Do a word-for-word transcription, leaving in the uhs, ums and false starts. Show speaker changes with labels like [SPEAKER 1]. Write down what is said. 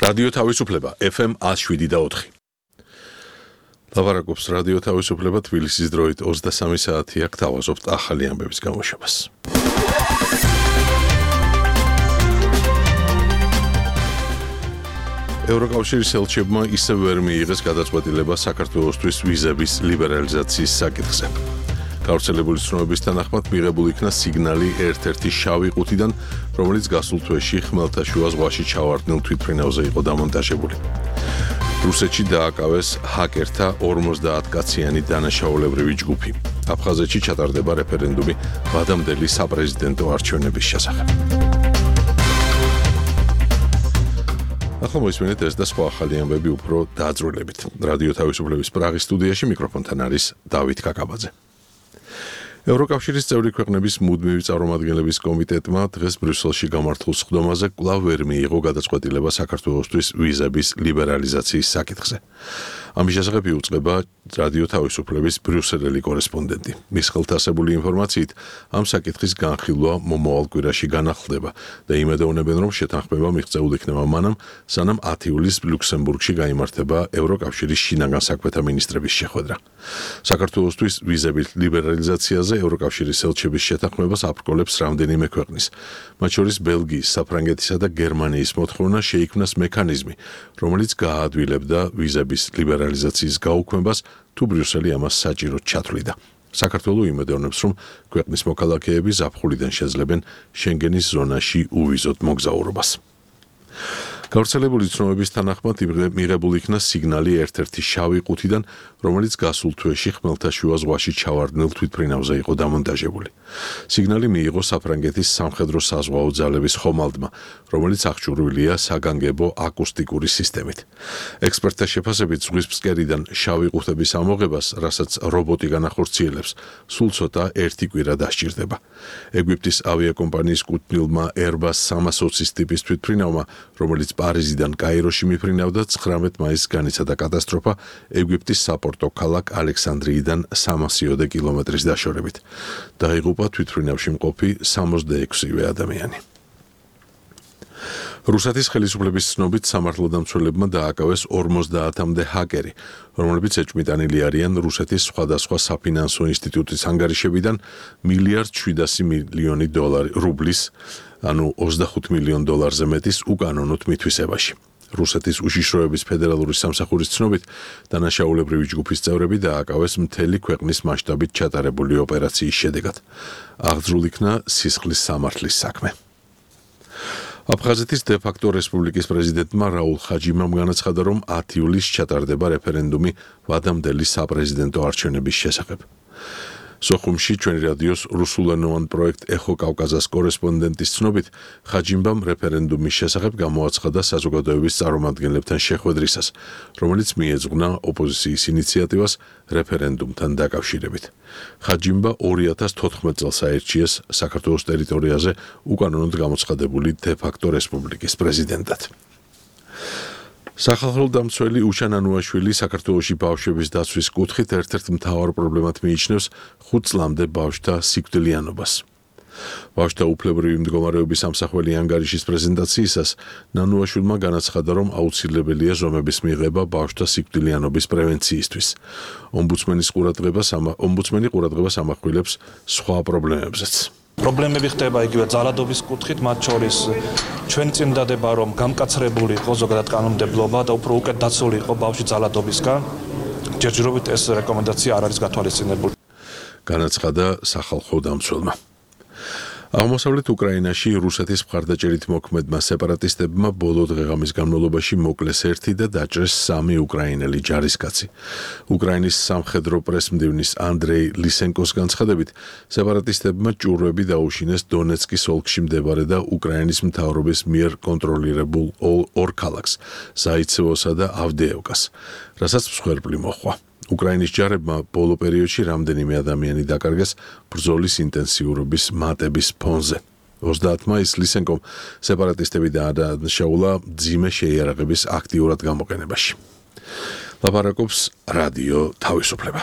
[SPEAKER 1] რადიო თავისუფლება ეფ ემ one oh seven და four. ლაპარაკობს რადიო თავისუფლება თბილისის დროით ოცდასამი საათია გთავაზობთ ახალი ამბების გამოშვებას. ევროკავშირის ელჩებმა ისევ ვერ მიიღეს გადაწყვეტილება საქართველოსთვის ვიზების ლიბერალიზაციის საკითხზე. გავრცელებული ცნობების თანახმად მიღებული იქნა სიგნალი ერთ-ერთი შავი ყუთიდან, რომელიც გასულ თვეში ხმელთაშუა ზღვაში ჩავარდნილ თვითმფრინავზე იყო დამონტაჟებული. რუსეთში დააკავეს ჰაკერთა ორმოცდაათ კაციანი დანაშაულებრივი ჯგუფი. აფხაზეთში ჩატარდება რეფერენდუმი ვადამდელი საპრეზიდენტო არჩევნების შესახებ. ახლა მოისმენთ ეს და სხვა ახალი ამბები უფრო დაძრულებით. რადიო თავისუფლების პრაღის სტუდიაში მიკროფონთან არის დავით კაკაბაძე. ევროკავშირის წევრი ქვეყნების მუდმივი წარმომადგენლების კომიტეტმა დღეს ბრიუსელში გამართულ სხდომაზე კვლავ ვერ მიიღო გადაწყვეტილება საქართველოსთვის ვიზების ლიბერალიზაციის საკითხზე. ამის შესახებ იუწყება რადიო თავისუფლების ბრიუსელელი კორესპონდენტი. მის ხელთ ასებული ინფორმაციით, ამ საკითხის განხილვა მომავალ კვირაში განახლდება და იმედოვნებენ, რომ შეთანხმება მიღწეულ იქნება მანამ, სანამ ათი ივლისს ლუქსემბურგში გაიმართება ევროკავშირის შინაგან საქმეთა მინისტრების შეხვედრა. საქართველოსთვის ვიზების ლიბერალიზაციაზე ევროკავშირის ელჩების შეთანხმებას აბრკოლებს რამდენიმე ქვეყნის, მათ შორის ბელგიის, საფრანგეთისა და გერმანიის მოთხოვნა შეიქმნას მექანიზმი, რომელიც გააადვილებდა ვიზების ლიბერალიზაციის გაუქმებას, თუ ბრიუსელი ამას საჭიროდ ჩათვლიდა. საქართველო იმედოვნებს, რომ ქვეყნის მოქალაქეები ზაფხულიდან შეძლებენ შენგენის ზონაში უვიზოდ მოგზაურობას. გავრცელებული ცნობების თანახმად მიღებული იქნა სიგნალი ერთ-ერთი შავი ყუთიდან, რომელიც გასულ თვეში ხმელთაშუა ზღვაში ჩავარდნილ თვითმფრინავზე იყო დამონტაჟებული. სიგნალი მიიღო საფრანგეთის სამხედრო საზღვაო ძალების ხომალდმა, რომელიც აღჭურვილია საგანგებო აკუსტიკური სისტემით. ექსპერტთა შეფასებით ზღვის ფსკერიდან შავი ყუთების ამოღებას, რასაც რობოტი განახორციელებს, სულ ცოტა ერთი კვირა დასჭირდება. ეგვიპტის ავიაკომპანიის კუთვნილმა Airbus სამას ოცის ტიპის თვითმფრინავმა, რომელიც პარიზიდან კაიროში მიფრინავდა, ცხრამეტ მაისს განიცადა კატასტროფა ეგვიპტის საპორტო ქალაქ ალექსანდრიიდან სამასიოდე კილომეტრის დაშორებით. დაიღუპა თვითმფრინავში მყოფი სამოცდაექვსივე ადამიანი. რუსეთის ხელისუფლების ცნობით სამართლოდამცველებმა დააკავეს ორმოცდაათამდე ჰაკერი, რომლებიც ეჭვმიტანილი არიან რუსეთის სხვადასხვა საფინანსო ინსტიტუტის ანგარიშებიდან მილიარდ შვიდასი მილიონი დოლარი რუბლის, ანუ ოცდახუთ მილიონ დოლარზე მეტის უკანონოდ მითვისებაში. რუსეთის უშიშროების ფედერალური სამსახურის ცნობით, დანაშაულებრივი ჯგუფის წევრები დააკავეს მთელი ქვეყნის მასშტაბით ჩატარებული ოპერაციის შედეგად. აღძრულ იქნა სისხლის სამართლის საქმე. აფხაზეთის დე-ფაქტო რესპუბლიკის პრეზიდენტმა რაულ ხაჯიმამ განაცხადა, რომ ათი ივლისს ჩატარდება რეფერენდუმი ვადამდელი საპრეზიდენტო არჩევნების შესახებ. სოხუმში ჩვენი რადიოს რუსულენოვან პროექტ ეხო კავკაზას კორესპონდენტის ცნობით, ხაჯიმბამ რეფერენდუმის შესახებ გამოაცხადა საზოგადოების წარმომადგენლებთან შეხვედრისას, რომელიც მიეძღვნა ოპოზიციის ინიციატივას რეფერენდუმთან დაკავშირებით. ხაჯიმბა ორი ათას თოთხმეტ წელს აირჩიეს საქართველოს ტერიტორიაზე უკანონოდ გამოცხადებული დე-ფაქტო რესპუბლიკის პრეზიდენტად. სახალხო დამცველი უშან ანუაშვილი საქართველოში ბავშვების დაცვის კუთხით ერთ-ერთ მთავარ პრობლემად მიიჩნევს ხუთ წლამდე ბავშვთა სიკვდილიანობას. ბავშვთა უფლებრივი მდგომარეობის სამსახველი ანგარიშის პრეზენტაციისას ნანუაშვილმა განაცხადა, რომ აუცილებელია ზომების მიღება ბავშვთა სიკვდილიანობის პრევენციისთვის. ომბუდსმენის ყურადღებას ომბუდსმენი ყურადღებას ამახვილებს სხვა პრობლემებზეც.
[SPEAKER 2] პრობლემები ხდება იგივე ძალადობის კუთხით, მათ შორის ჩვენ წინ დადება, რომ გამკაცრებული იყო ზოგადად კანონმდებლობა და უფრო უკეთ დაცული იყო ბავშვი ძალადობისგან. ჯერჯერობით ეს რეკომენდაცია არ არის გათვალისწინებული.
[SPEAKER 1] განაცხადა სახალხო დამცველმა. აღმოსავლეთ უკრაინაში რუსეთის მხარდაჭერით მოქმედმა სეპარატისტებმა ბოლო დღეღამის განმავლობაში მოკლეს ერთი და დაჭრეს სამი უკრაინელი ჯარისკაცი. უკრაინის სამხედრო პრესმდივნის ანდრეი ლისენკოს განცხადებით, სეპარატისტებმა ჭურვები დაუშინეს დონეცკის ოლქში მდებარე და უკრაინის მთავრობის მიერ კონტროლირებულ ორ ქალაქს, ზაიცევოსა და ავდეევკას, რასაც მსხვერპლი მოჰყვა. უკრაინის ჯარებმა ბოლო პერიოდში რამდენიმე ადამიანი დაკარგეს ბრძოლის ინტენსიურობის მატების ფონზე. ოცდაათ მაისს ლისენკომ სეპარატისტები დაადანაშაულა მძიმე შეიარაღების აქტიურად გამოყენებაში. ლაპარაკობს რადიო თავისუფლება.